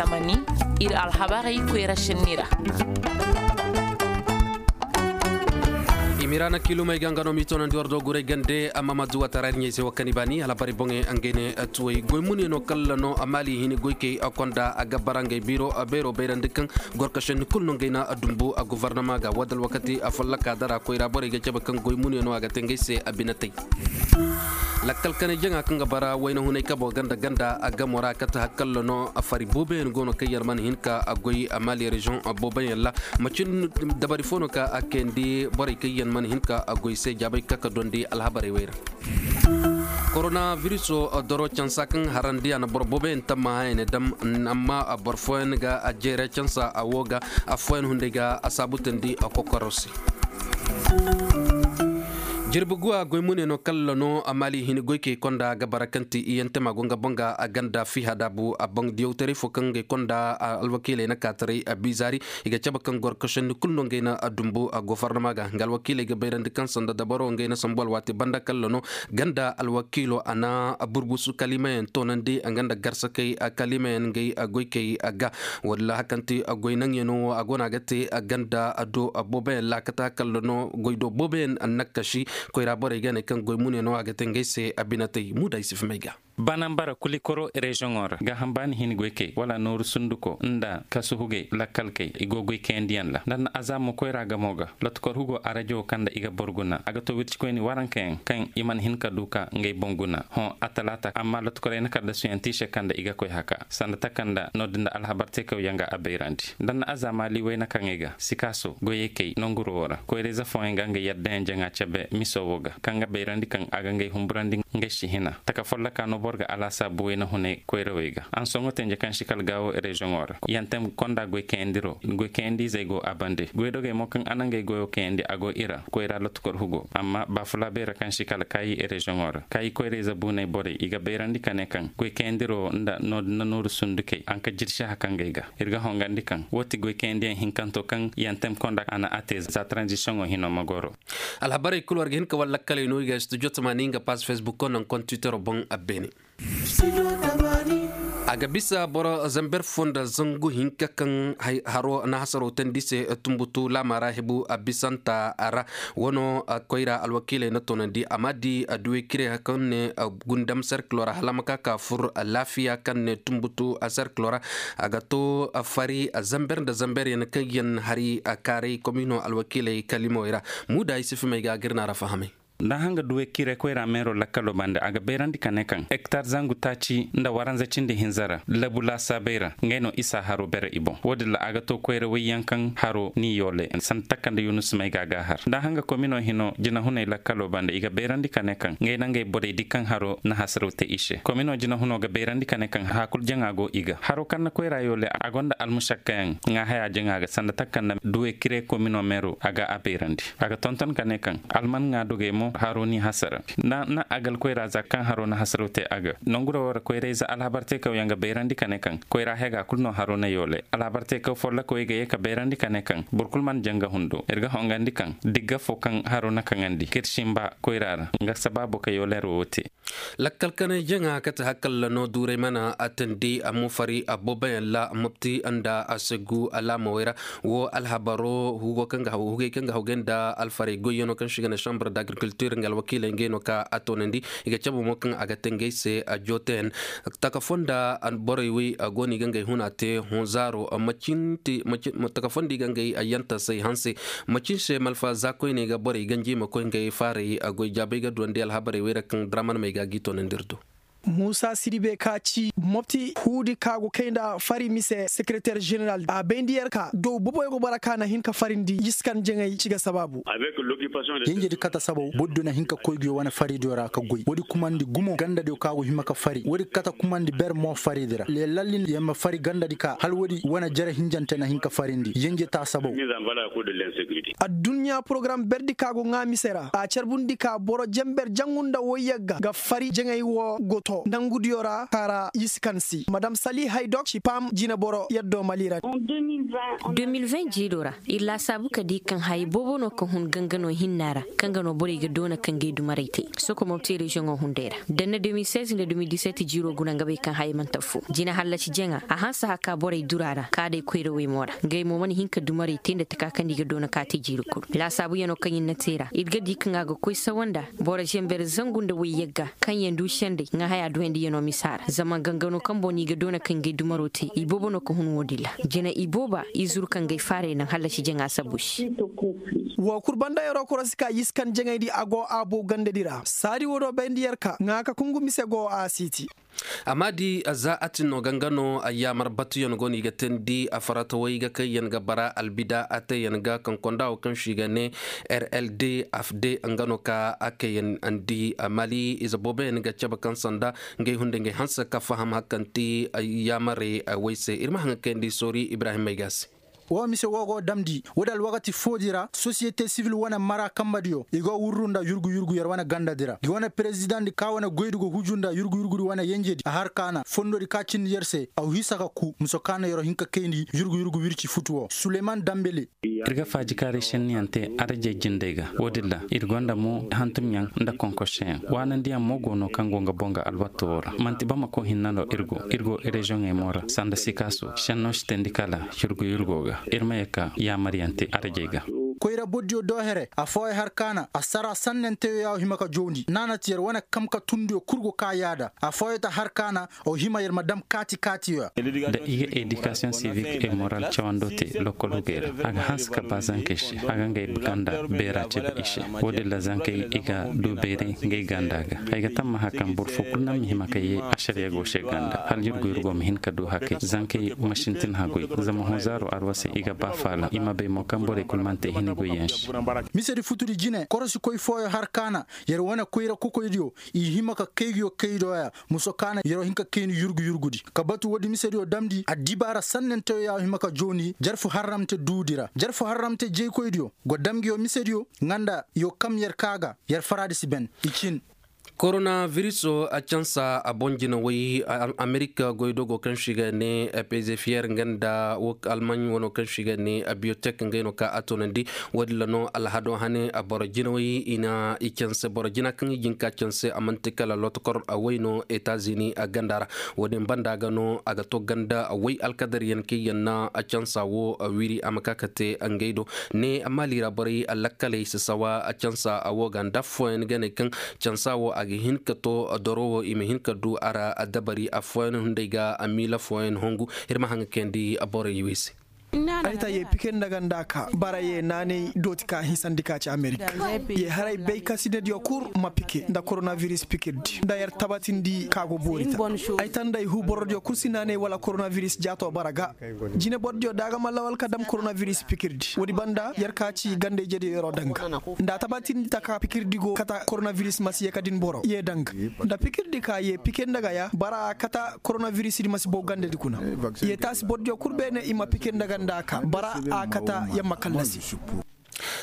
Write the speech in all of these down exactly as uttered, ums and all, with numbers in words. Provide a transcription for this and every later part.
Amani, ir alhabarey koyra sinni ra. Imirana kilumey ga nga no m'i toonandi war do guray gande amma ma duwa taraari ɲey se wa kani baani alhabarey boŋey ngey ne tuwey goy mune no kalla no a maali hini goykey a konda a ga bara ngey biro a beero bayrandi kaŋ gorkasandi kulu no ngey na a dumbu a gofornama ga wadda alwakati a follaka dara koyra borey ga cabe kaŋ goy mune no a ga te ngey se a binatey. Lakkal kanay jaŋa kaŋ ga bara wayna hunay kabo ganda ganda a gamo ra kate hakkallo no a fari booboyaŋ go no kaŋ yaŋ mana hin ka a goy a maali reziyoŋ booboyaŋ ra. Macin dabari fo no ka a kayandi borey kaŋ yaŋ mana hin ka a goy se jaabay ka ka dondi alhabarey wey ra. Korona viriso doro cansa kaŋ harandi a na boro booboyaŋ tamma haya ne dam. Amma boro fooyaŋ ga a jeere cansa a wo ga affooyaŋ hunday ga a saabutandi a kokoro se. Jirbi guwa goy mune no kalla no a maali hini goykey konda ga bara kaŋ ti iyantema go nga boŋ ga a ganda fiha daabu a boŋ diyawtaray fo kaŋ ngey konda alwakiiley na kaataray a biizaari. I ga cabe kaŋ goro kasandi kulu no ngey na a dumbu a gofornama ga nga alwakiiley ga bayrandi kaŋ sanda dabaro ngey na sambu alwaati banda kalla no ganda alwakiilo a na burbusu kalimayaŋ toonandi nga nda garsakey kalimayaŋ ngey goykey ga. Walla hakanti goy naŋyaŋo wo a go no a ga te ganda do booboyaŋ laakata kalla no goy do booboyaŋ annakasi. Koyra borey ga ne kaŋ goy mune no a ga te ngey se a binatey muuda ay si fimey ga. Banambara kulikoro reziyoŋo ra ga hambaani hin goykey wala nooru sunduko nda kasuhugey lakkalkey i go goykayandiyaŋ ra nda na azaamo koyra gamo ga. Lotkor hugo arajo kaŋ nda i ga boro guna a ga to wircikoyni warankayaŋ kaŋ i mana hin ka du ka ngey boŋ guna hõ a talaata amma lotkorey na kaddasuyaŋ te i se kaŋ nda i ga koy haka sanda taka nda noodin nda alhabar teekawyaŋ ga a bayrandi nda na azaama liiway na kaŋey ga sikaaso goyey kay nanguro wo ra koyra-ize fooyaŋ ga ngey yaddayaŋ jaŋa cabe miso wo ga kaŋ ga bayrandi kaŋ a ga ngey humburandi ngey si hina taka folloka no boro ga alaasaabu wayna hunay koyrawey ga ansoŋo tenje kaŋ si kala gaawo reziyoŋo ra yantem konda goy kayandiro goy kayandi-izey go a bande goydogey mo kaŋ a na ngey goyo kayandi a go i ra koyra lotukor hugo amma baafulaabey ra kaŋ si kala kaayi reziyoŋo ra kaayi koyra-ize buuney borey i ga bayrandi ka ne kaŋ goy kayandiro nda noodin na nooru sundukey a na ka jirsi haka ngey ga ir ga hongandi kaŋ woo ti goy kayandiyaŋ hinkanto kaŋ yantem konda a na a te za taranzisiyoŋo hino ma goro. Alhabarey kulu war ga hin ka war lakkaley no i ga studio tamaani nga paas fesbukko naŋ kontitero boŋ a beene. A ga bisa boro zamber fo nda zangu hinka kaŋ haro na hasaro tandi se tumbutu laama ra hebu a bisanta ra. Wano koyra alwakiiley na tonandi a ma di duwe kire kaŋ ne gundam serkilo ra hala ma ka ka fur laafiya kaŋ ne tumbutu serkilo ra. A ga to fari zamber nda zamber yaŋ kaŋ yaŋ hari kaaray komino alwakiiley kalimawey ra. Muuda ay si fimey ga a ga ir na ra fahamay. Nda hanga duwey kire koyra meero lakkalo bande a ga bayrandi ka ne kaŋ hektar zangu taaci nda waranza cindi hinza ra labu laasaabey ra ngey no isa haro bere i boŋ woodin ra a ga to koyra wayyaŋ kaŋ haro ni yoole sanda takanda yunus may ga a ga a har nda hanga komino hino jinahuney lakkalo bande i ga bayrandi ka ne kaŋ ngey na ngey borey di kaŋ haro na hasaraw te i se komino jinahuno ga bayrandi ka ne kaŋ haakul jaŋa go i ga haro kaŋ na koyra yoole a gonda almušakkayaŋ ŋaahaya jaŋa ga sanda takanda duwey kire komino meero a ga a bayrandi a ga tonton ka ne kaŋ alman ŋaa dogey mo haro n'i hasara nda na agal koyra za kaŋ haro na hasaraw te a ga nongu ra wo ra koyra-ize alhabar teekawyaŋ ga bayrandi ka ne kaŋ koyra hega kulu no haro na yoole alhabar teekaw follokawey ga ye ka bayrandi ka ne kaŋ boro kulu mana jaŋ ga hundo ir ga hongandi kaŋ digga fo kaŋ haro na kaŋandi k'ir sinba koyra ra nga sabaabo ka yooler wo te. Lakkal kanay jaŋa kate hakalla no duuray mana a tandi a mo fari a booboyaŋ ra mopti nda a segu alaamawey ra. Wo alhabaro hugey kaŋ ga hawgay nda alfarey goyyaŋo kaŋ se i ga ne sambar da agrikiltir nga alwakiiley ngey no ka a toonandi. I ga cabe mo kaŋ a ga te ngey se a jooteyaŋ taka fonda borey wey go no i ga ngey huna te hõ zaaro. Taka fonda i ga ngey yantasey hanse macin se malfa za koyney ga borey ganji i ma koy ngey faaray goy jaabay ga duwandi alhabarey wey ra kaŋ draman may ga a g'i toonandi ir do. Muusa siribe ka ci mopti huudi ka go kay nda fari mise sekereter ženeral a bayndi yer ka dow boboyo go bara ka na hin ka farindi yiskan jaŋay ci ga sabaabu. Yenjedi kata sabaw bordiyo na hin ka koy nguyo wane faridiyo ra ka goy woodi kumandi gumo gandadiyo ka go hima ka fari woodi kata kumandi ber mo faridi ra lelallin yer ma fari gandadi ka hala woodi wane jere hinjante na hin ka farindi yenje ta sabaw. Adduɲɲa porogaram berdi ka go ŋaa mise ra a carbundi ka boro jenber jaŋu nda woyyagga ga fari jaŋay wo go to. Nangudiyo ra kaara i si kan se madam sali haydok ci paam jineboro yaddo mali ra. De mil vingt jiiro ra ir laasaabu ka di kaŋ haya boobo no ka hun gangano hinna ra kaŋ ga no borey ga doona ka ngey dumarey te. Sokomobte reziyoŋo hunday ra danna de mil seize nda de mil dix-sept jiiro guna nga bay kaŋ haya man'ta affoo jina hallaci jaŋa a hanse haka borey dura ra kaadey koyrawey mo ra ngey mo mana hin ka dumarey te nda taka kaŋ nda i ga doona ka te jiiri kulu laasaabuyanoo kaŋ ir na te ra ir ga di kaŋ a ga koy sawa nda boro zamber zangu nda wayyagga kaŋ yaŋ du sendey ŋaahayaa duhendiyanoo misa ra zama gangano kaŋ boŋ no i ga doona kaŋ ngey dumaroo te iboobo no ka hun wo-din ra. Jina ibooba i zuru kaŋ ngey faarey naŋ hallasi jaŋa sabu se. Woo kul banda yeroo korosi ka yiskan jaŋayndi a go a bow gandadi ra saadi woo do bayndi yer ka ŋaa ka kungu mise go a siiti. Amma di za a tin no ganga no yaamar batuyaŋ go no i ga teendi a faratawey ga kayyaŋ ga bara albida a teeyaŋ ga kaŋ konda wo kaŋ se i ga ne rld afd nga no ka a kayyaŋ andi mali ize booboyaŋ ga cabe kaŋ sanda ngey hunday ngey hanse ka faham hari kaŋ ti yaamarey wey se ir ma haŋ ga kayandi soori ibrahim may ga se. Wo mise wo go damndi woodi alwakati foodi ra sosiyete sivil wane mara kambadiyo i go wurru nda yurgu yurgu yer wane gandadi ra gi wane perezidaŋdi ka wane goydi go huju nda yurgu yurgudi wane yenjedi a har kaana fondodi ka cindi yer se a hisa ka ku muso kaana yer hin ka kayndi yurgu yurgu wirci futu wo suleyman dambele. Ir ga faajikaaray senniyaŋ te arajey jindey ga wo-din ra ir gonda mo hantumyaŋ nda konkoseyaŋ waanandiyaŋ mo go no kaŋ go nga boŋ ga alwatto wo ra man'ti bamako hinna no ir go ir go reziyoŋey mo ra sanda sikaaso senno si teendi kala yurgu yurgo ga ir ma ye ka yaamaryaŋ te arajey ga. Koyra bordiyo do here affooyo har kaana assara sannenteyo ya wo hima ka jowndi naanati yer wane kamkatundiyo kul go ka yaada affooyo ta har kaana wo hima yer ma dam kaati kaatiyo ya. Da i ga edikasiyoŋ sivik e moral cawando te lokol hugey ra a ga hanse ka ba zankey se a ga ngey ganda beera cabe i se. Wo-din ra zankey i ga du beeray ngey ganda ga ay ga tammaha kaŋ boro fo kulu naŋ ma hima ka ye ašariya go se ganda hala yurgu yurgo ma hin ka du hakey zankey ma sintin hagoy zama hunzaaro arwasey i ga ba faala i ma bay mo kaŋ borey kulu mana te hini goyyaŋ se. Misedi futudi jine korosikoy fooyo har kaana yer wane koyra kokoydiyo i hima ka kaygiyo kaydoya muso kaana yer wo hin ka kayni yurgu yurgudi ka batu woodi misediyo damndi addibaara sannanteyo ya wo hima ka joondi jarfu harramte duudi ra jarfu harramte jeykoydiyo go dam ngi yo misediyo nga nda yo kam yer kaa ga yer faraadi si ben i cin. Korona viriso a cansa a boŋ jinawey amerika goydogo kaŋ se i ga ne pezefiyer nga nda almaŋ wano kaŋ se i ga ne biyotek ngey no ka a toonandi. Woodin ra no alhado hane boro jinawey i na i canse boro jina kaŋ i jin ka canse a man'ti kala lotokor a way no etazini a ganda ra. Woodin banda ga no a ga to ganda way alkadaryaŋ kaŋ yaŋ na a cansa wo a wiri a ma ka ka te ngey do. Ne maali ra borey lakkaley si sawa a cansa a wo ga nda affooyaŋ ga ne kaŋ cansa wo a ga hin ka to doro wo i ma hin ka du a ra a dabari affooyaŋ hunday ga a miila fooyaŋ hongu. Ir ma haŋ ga kayandi borey wey se. Ay ta ye pikir nda ganda ka bara ye naanay dooti ka hinsandi ka ci amerika ye haray bay ka sinediyo kul ma pikir nda koronaviris pikirdi nda yer tabatindi ka go boori ta. Ay ta nda ay hu borodiyo kul si naanay wala koronaviris jaato bara ga jine borodiyo da a ga ma lawal ka dam koronaviris pikirdi woodi banda yer ka ci ganda ijediyo yeroo danga nda a tabatindi taka pikirdi go kata koronaviris ma si ye ka din boro ye danga nda pikirdi ka ye pikir nda ga ya bara a kata koronavirisdi ma si bow gandadi kuna. Ye taasi bordiyo kul beene i ma pikir nda ganda ka bara a kata yamma kallasi.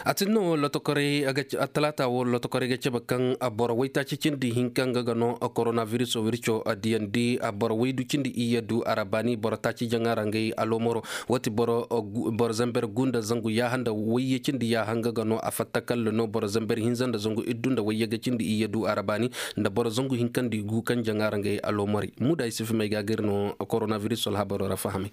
A tin no lotokoray talaata wo lotokoray ga cabe kaŋ boro waytaaci cindi hinka nga ga no koronaviris wirco diyandi boro waydu cindi iyye du a ra baani boro taaci jaŋa ra ngey aloomaro. Wati boro zamber gu nda zangu yaaha nda wayye cindi yaaha nga ga no a fatta kalla no boro zamber hinza nda zangu iddu nda wayye ga cindi iyye du a ra baani nda boro zangu hinka nda i gu kaŋ jaŋa ra ngey aloomaray muuda ay si fimay ga gir no koronaviris alhabaro ra fahamay.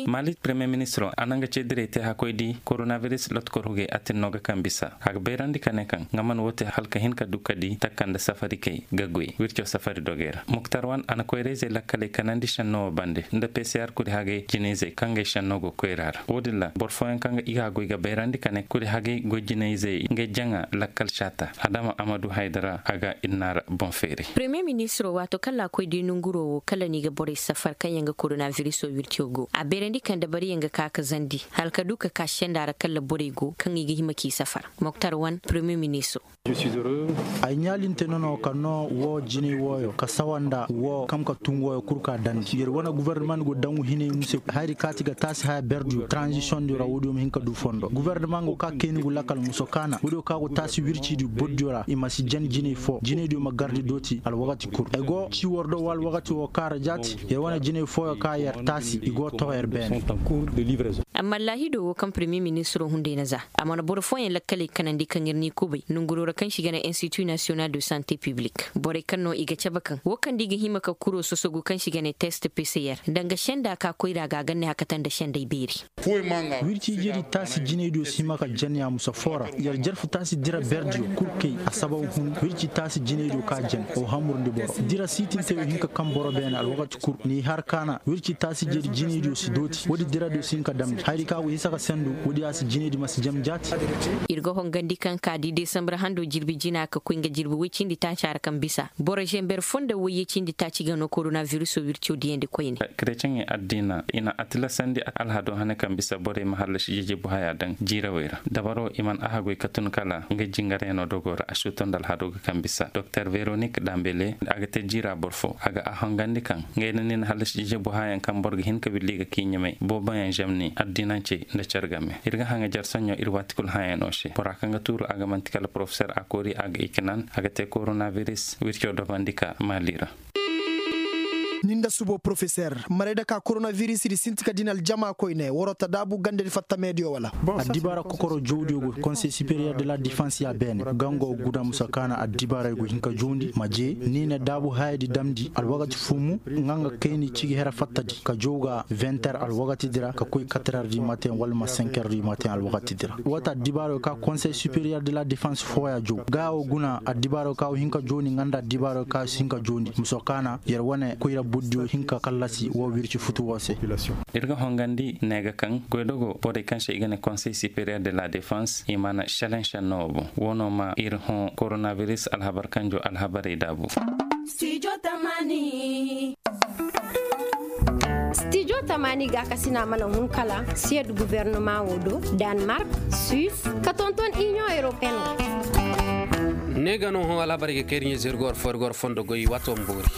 Maali premier ministro a na nga ceediray te hakkoy di koronaviris lotkor hugey a tin no ga kaŋ bisa a ga bayrandi ka ne kaŋ nga man woo te hala ka hin ka du ka di takka nda safari kay ga goy wirco safari dogey ra muktar wan a na koyra-izey lakkaley kanandi šenno woo bande nda pcr kuri hagey jine-izey kaŋ ngey šenno go koyra ra woo din ra boro fooyaŋ kaŋ ga i ga goy ga bayrandi ka ne kuri hagey goy jine-izey ngey jaŋa lakkal caata adama amadu haydara a ga inna ra boŋ feeri. Premier ministro waato kaŋ ra a koy di nonguroo woo kala no i ga borey safar kaŋ yaŋ ga koronavirisoo wirco go. A beerandi kaŋ dabariyaŋ ga ka ka zandi hala ka du ka ka senda ra kalla borey go kaŋ i ga hima k'i safar. Moktar wan premier ministro. Ay ɲaalinte nono ka noo woo jinay wooyo ka sawa nda woo kaŋ ka tun wooyo kul ka dandi yer wane guverneman go daŋ hinay muse. Hayri kaati ga taasi haya berdiyo tranzisiyoŋ diyo ra woodiyo ma hin ka du fondo guverneman go ka kayni gu lakal muso kaana woodiyo ka go taasi wircidiyo bordiyo ra i ma si jan jinay foo jinaydiyo ma gardi dooti alwakati kul ay go cii war do woo alwakati woo kaara jaati. Yer wane jinay fooyo ka yer taasi i go too yer beene. Amma laahido woo kaŋ premier ministiroo hunday na za a mana boro fooyaŋ lakkaley kanandi kaŋ ir n'i kubay nonguroo ra kaŋ se i ga ne institu nasiyonal de sante piblik borey kaŋ no i ga cabe kaŋ woo kaŋ da i ga hima ka kuroo sosogu kaŋ se i ga ne test pcr nda nga senda ka koyra ga a ga ne hakata nda sendey beeri. Wirci ijedi taasi jinaydiyo si hima ka jan yaamusa foo ra yer jarfu taasi dira berdiyo kul kay a sababu hun wirci taasi jinaydiyo ka jan o hamurndi boro dira siitinteyo hinka kaŋ boro beene alwakati kul n'i har kaana wirci taasi jedi jinaydiyo si dooti woodi diradiyo si hin ka damndi hayri kaŋ a go hisa ka sendu woodi a si jinaydi ma si jam jaati. Ir ga hongandi kaŋ ka di desambar hando jirbi jina ka koy nga jirbi woy cindi taaca ra kaŋ bisa boro zember foo nda woyye cindi taaci ga no korona viriso wirco diyandi koyne. Kreceŋey addiina i na a tilasandi alhado hane kaŋ bisa borey ma hallasi jejebu haya daŋ jiirawey ra dabaro i mana a hagoy ka tun kala nga jingarayano dogo ra a si to nda alhado ga kaŋ bisa doktor veronik dambele a ga te jiira boro fo a ga a hongandi kaŋ ngey na ni na hallasi jejebu hayaŋ kaŋ boro ga hin ka willi ga k'i ɲumay booboyaŋ zemni addiinancey nda care game ir ga haŋa jar soɲo ir waati kul hayaŋo se bora kaŋ ga tuuru a ga man'ti kala porofeser a koori a ga i ka naan a ga te koronaviris wirco dobandi ka maali ra. Ni nda subo porofeser maray da ka koronaviris di sinti ka din aljama koyne waroo ta daabu gandadi fatta meediyo wala? Addibaara kokoro jawdiyo go konsey superiyer de la defans ya beene gango guna musa kaana addibaarey go hin ka jawndi ma jee ni na daabu hayadi damndi alwakati fumu nga nga kayni cigi here fattadi ka jaw ga vingt heures alwakatidi ra ka koy quatre heures du matin wala ma cinq heures du matin alwakatidi ra woo ti addibaarey ka konsey superiyer de la defans fooya jaw ga wo guna addibaarey ka wo hin ka jawndi nga nda addibaarey ka wo si hin ka jawndi muso kaana yer wane koyra burdiyo hin ka kallasi woo wirci futu woo se. Ir ga hongandi ne ga kaŋ goydogo borey kaŋ se i ga ne konsey superiyer de la defans i mana šelaŋ šenno woo boŋ woo no ma ir hõ koronaviris alhabar kanjo alhabarey daabu. Stijo tamaani gaakasina mana hun kala siyed guvernoma woo do, danmark, suis, ka tonton inion europeen. Ne ga no hõ alhabarey ga kay ir ɲa zirgor fo ir gor fondo goy waato ma boori.